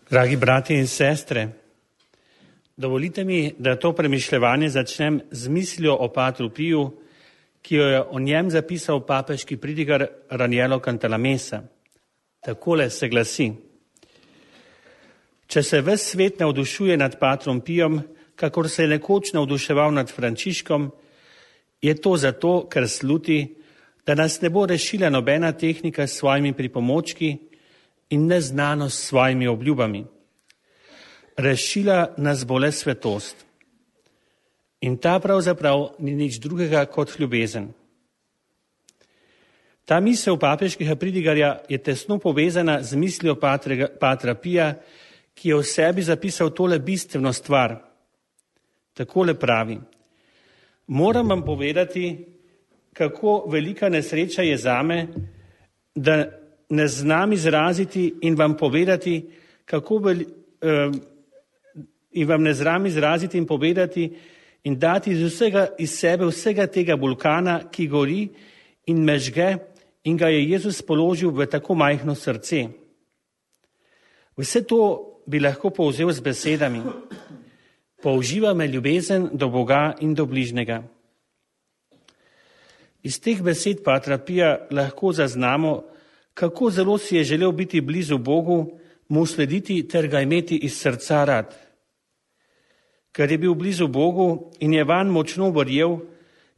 Dragi brati in sestre, dovolite mi, da to premišljevanje začnem z mislijo o Patru Piju, ki jo je o njem zapisal papeški pridigar Raniero Cantalamessa. Takole se glasi: Če se ves svet navdušuje nad Patrom Pijem, kakor se je nekoč navduševal nad Frančiškom, je to zato, ker sluti, da nas ne bo rešila nobena tehnika s svojimi pripomočki in neznanost s svojimi obljubami. Rešila nas bo le svetost. In ta pravzaprav ni nič drugega kot ljubezen. Ta misel papeškega pridigarja je tesno povezana z mislijo Patra Pija, ki je v sebi zapisal tole bistveno stvar. Takole pravi: Moram vam povedati, kako velika nesreča je zame, da ne znam izraziti in vam povedati, in dati iz sebe vsega tega vulkana, ki gori in mežge, in ga je Jezus položil v tako majhno srce. Vse to bi lahko povzel z besedami: použiva me ljubezen do Boga in do bližnjega. Iz teh besed Patra Pija lahko zaznamo, kako zelo si je želel biti blizu Bogu, mu slediti ter ga imeti iz srca rad. Ker je bil blizu Bogu in je vanj močno verjel,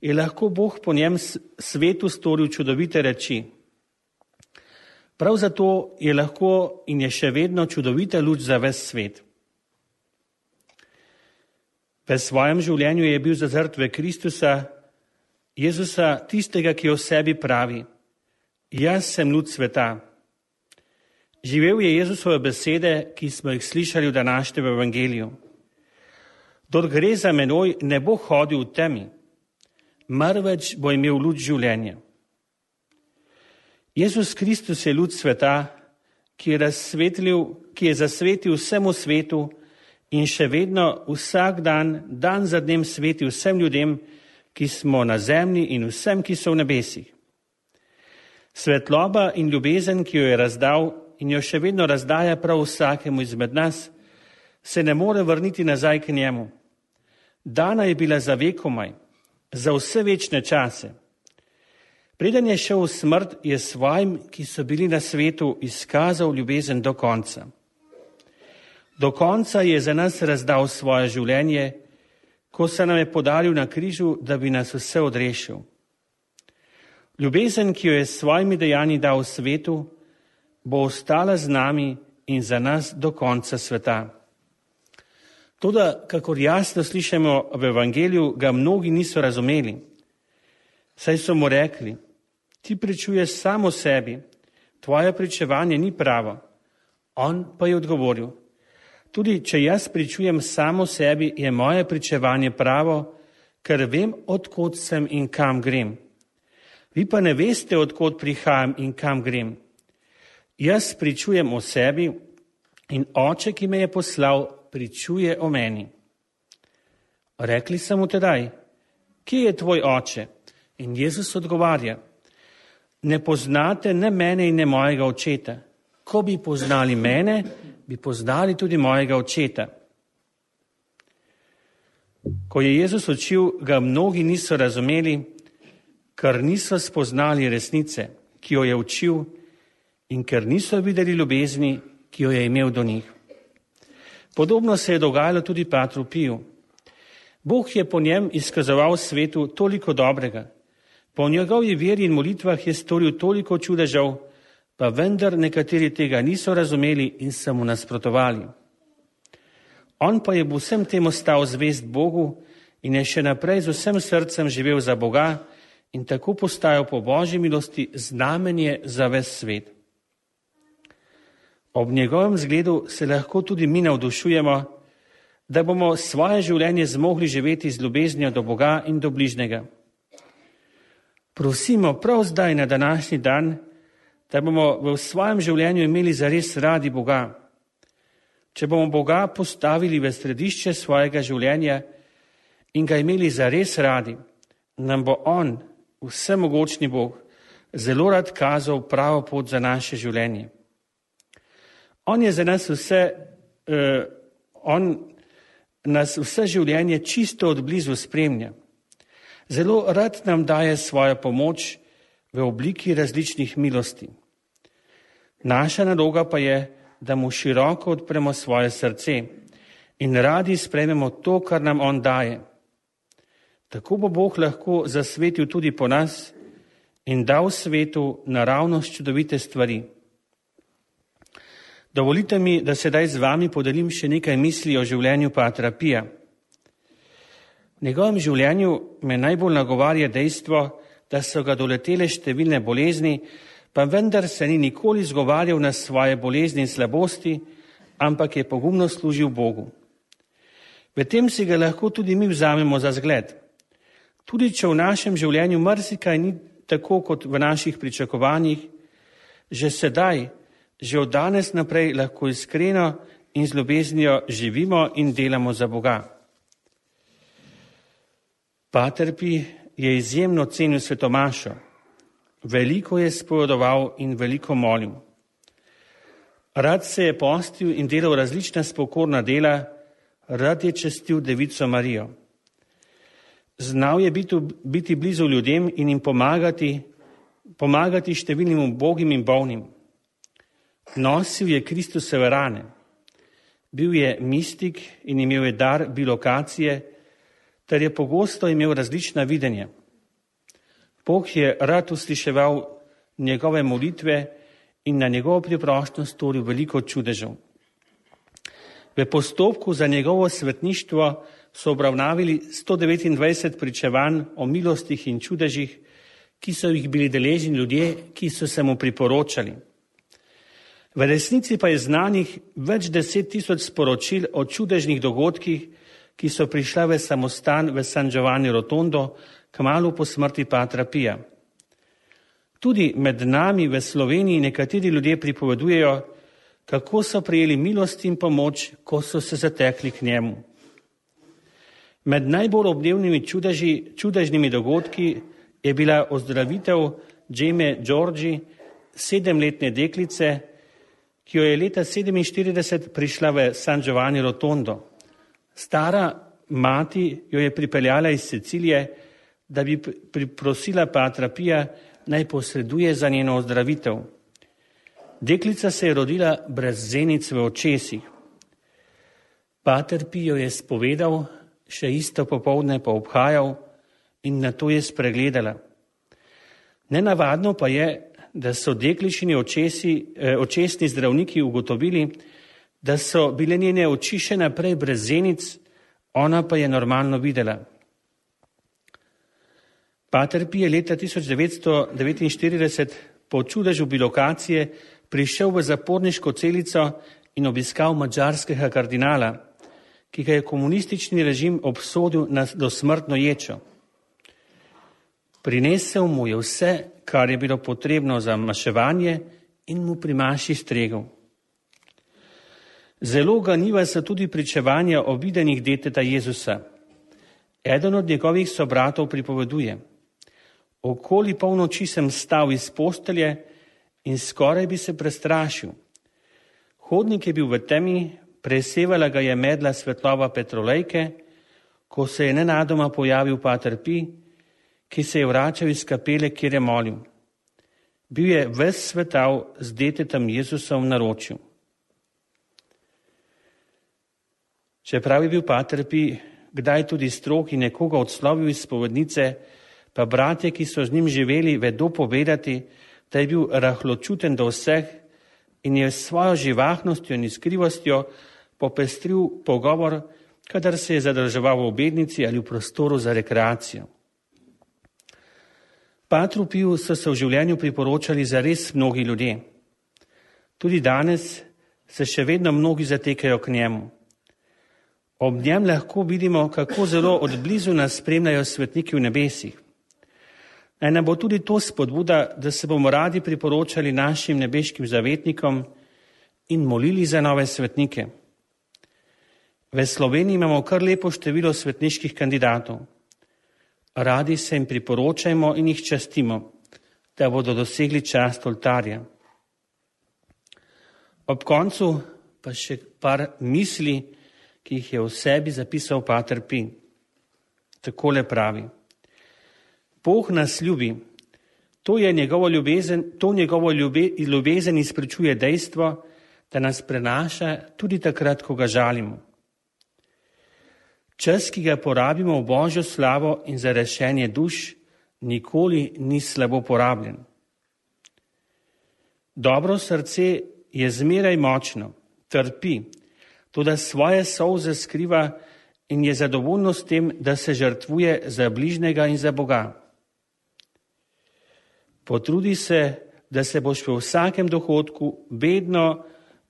je lahko Bog po njem svetu storil čudovite reči. Prav zato je lahko in je še vedno čudovita luč za ves svet. V svojem življenju je bil zazrt v Kristusa, Jezusa, tistega, ki o sebi pravi: Jaz sem luč sveta. Živel je Jezusove besede, ki smo jih slišali v današnjem evangeliju. Kdor gre za menoj, ne bo hodil v temi, marveč bo imel luč življenja. Jezus Kristus je luč sveta, ki je zasvetil vsemu svetu in še vedno vsak dan, dan za dnem sveti vsem ljudem, ki smo na zemlji, in vsem, ki so v nebesih. Svetloba in ljubezen, ki jo je razdal in jo še vedno razdaja prav vsakemu izmed nas, se ne more vrniti nazaj k njemu. Dana je bila za vekomaj, za vse večne čase. Preden je šel v smrt, je svojim, ki so bili na svetu, izkazal ljubezen do konca. Do konca je za nas razdal svoje življenje, ko se nam je podaril na križu, da bi nas vse odrešil. Ljubezen, ki jo je s svojimi dejanji dal svetu, bo ostala z nami in za nas do konca sveta. Toda, kakor jasno slišimo v evangeliju, ga mnogi niso razumeli. Saj so mu rekli: ti pričuješ samo sebi, tvoje pričevanje ni pravo. On pa je odgovoril: tudi če jaz pričujem samo sebi, je moje pričevanje pravo, ker vem, od kod sem in kam grem. Vi pa ne veste, od kod prihajam in kam grem. Jaz pričujem o sebi in Oče, ki me je poslal, pričuje o meni. Rekli so mu tedaj: kje je tvoj oče? In Jezus odgovarja: ne poznate ne mene in ne mojega očeta. Ko bi poznali mene, bi poznali tudi mojega očeta. Ko je Jezus učil, ga mnogi niso razumeli, ker niso spoznali resnice, ki jo je učil, in ker niso videli ljubezni, ki jo je imel do njih. Podobno se je dogajalo tudi Patru Piju. Bog je po njem izkazoval svetu toliko dobrega. Po njegovi veri in molitvah je storil toliko čudežev, pa vendar nekateri tega niso razumeli in so mu nasprotovali. On pa je v vsem tem ostal zvest Bogu in je še naprej z vsem srcem živel za Boga in tako postajal po Božji milosti znamenje za ves svet. Ob njegovem zgledu se lahko tudi mi navdušujemo, da bomo svoje življenje zmogli živeti z ljubeznijo do Boga in do bližnjega. Prosimo prav zdaj na današnji dan, da bomo v svojem življenju imeli zares radi Boga. Če bomo Boga postavili v središče svojega življenja in ga imeli zares radi, nam bo On, vsemogočni Bog, zelo rad kazal pravo pot za naše življenje. On je za nas vse on nas vse življenje čisto od blizu spremlja. Zelo rad nam daje svojo pomoč v obliki različnih milosti. Naša naloga pa je, da mu široko odpremo svoje srce in radi sprejmemo to, kar nam on daje. Tako bo Bog lahko zasvetil tudi po nas in dal svetu naravnost čudovite stvari. Dovolite mi, da sedaj z vami podelim še nekaj misli o življenju patra Pija. V njegovem življenju me najbolj nagovarja dejstvo, da so ga doletele številne bolezni, pa vendar se ni nikoli izgovarjal na svoje bolezni in slabosti, ampak je pogumno služil Bogu. V tem si ga lahko tudi mi vzamemo za zgled. Tudi če v našem življenju marsikaj ni tako kot v naših pričakovanjih, že sedaj, že od danes naprej lahko iskreno in z ljubeznijo živimo in delamo za Boga. Pater Pij je izjemno cenil svetomašo, veliko je spovedoval in veliko molil. Rad se je postil in delal različna spokorna dela, rad je častil Devico Marijo. Znal je biti blizu ljudem in jim pomagati številnim ubogim in bolnim. Nosil je Kristusove rane. Bil je mistik in imel je dar bilokacije, ter je pogosto imel različna videnja. Bog je rad usliševal njegove molitve in na njegovo priprošnjo storil veliko čudežev. V postopku za njegovo svetništvo so obravnavali 129 pričevanj o milostih in čudežih, ki so jih bili deležni ljudje, ki so se mu priporočali. V resnici pa je znanih več 10.000 sporočil o čudežnih dogodkih, ki so prišla v samostan v San Giovanni Rotondo kmalu po smrti patra Pija. Tudi med nami v Sloveniji nekateri ljudje pripovedujejo, kako so prejeli milost in pomoč, ko so se zatekli k njemu. Med najbolj obdevnimi čudežnimi dogodki je bila ozdravitev Džeme Đorđi, 7-letne deklice, ki jo je leta 1947 prišla v San Giovanni Rotondo. Stara mati jo je pripeljala iz Sicilije, da bi prosila patra Pija, naj posreduje za njeno ozdravitev. Deklica se je rodila brez zenic v očesih. Pater Pij jo je spovedal, še isto popoldne pa obhajal in nato je spregledala. Nenavadno pa je, da so dekličini očesni zdravniki ugotovili, da so bile njene oči še naprej brez zenic, ona pa je normalno videla. Pater Pij je leta 1949 po čudežu bilokacije prišel v zaporniško celico in obiskal madžarskega kardinala, ki ga je komunistični režim obsodil na dosmrtno ječo. Prinesel mu je vse, kar je bilo potrebno za maševanje in mu pri maši stregel. Zelo ganljiva so tudi pričevanja o videnjih deteta Jezusa. Eden od njegovih sobratov pripoveduje: okoli polnoči sem stal iz postelje in skoraj bi se prestrašil. Hodnik je bil v temi, presevala ga je medla svetlova petrolejke, ko se je nenadoma pojavil pater Pij, ki se je vračal iz kapele, kjer je molil. Bil je ves svetal z detetom Jezusom v naročju. Čeprav je bil pater Pij kdaj tudi strog in nekoga odslovil iz spovednice, pa bratje, ki so z njim živeli, vedo povedati, da je bil rahločuten do vseh in je s svojo živahnostjo in iskrivostjo popestril pogovor, kadar se je zadrževal v obednici ali v prostoru za rekreacijo. Patru Piju so se v življenju priporočali zares mnogi ljudje. Tudi danes se še vedno mnogi zatekajo k njemu. Ob njem lahko vidimo, kako zelo od blizu nas spremljajo svetniki v nebesih. Naj nam bo tudi to spodbuda, da se bomo radi priporočali našim nebeškim zavetnikom in molili za nove svetnike. V Sloveniji imamo kar lepo število svetniških kandidatov. Radi se jim priporočajmo in jih častimo, da bodo dosegli čast oltarja. Ob koncu pa še par misli, ki jih je v sebi zapisal pater Pi. Takole pravi: Bog nas ljubi. To njegovo ljubezen izpričuje dejstvo, da nas prenaša tudi takrat, ko ga žalimo. Čas, ki ga porabimo v Božjo slavo in za rešenje duš, nikoli ni slabo porabljen. Dobro srce je zmeraj močno, trpi, toda svoje solze skriva in je zadovoljno s tem, da se žrtvuje za bližnjega in za Boga. Potrudi se, da se boš v vsakem dohodku vedno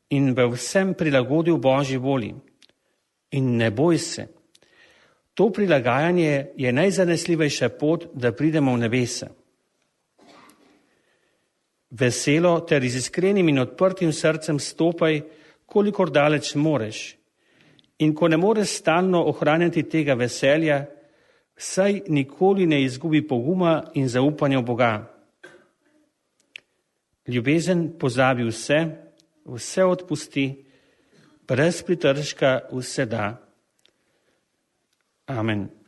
in v vsem prilagodil Božji volji. In ne boj se. To prilagajanje je najzanesljivejša pot, da pridemo v nebesa. Veselo ter z iskrenim in odprtim srcem stopaj, kolikor daleč moreš. In ko ne moreš stalno ohranjati tega veselja, saj nikoli ne izgubi poguma in zaupanja v Boga. Ljubezen pozabi vse, vse odpusti, brez pritržka vse da. Amen.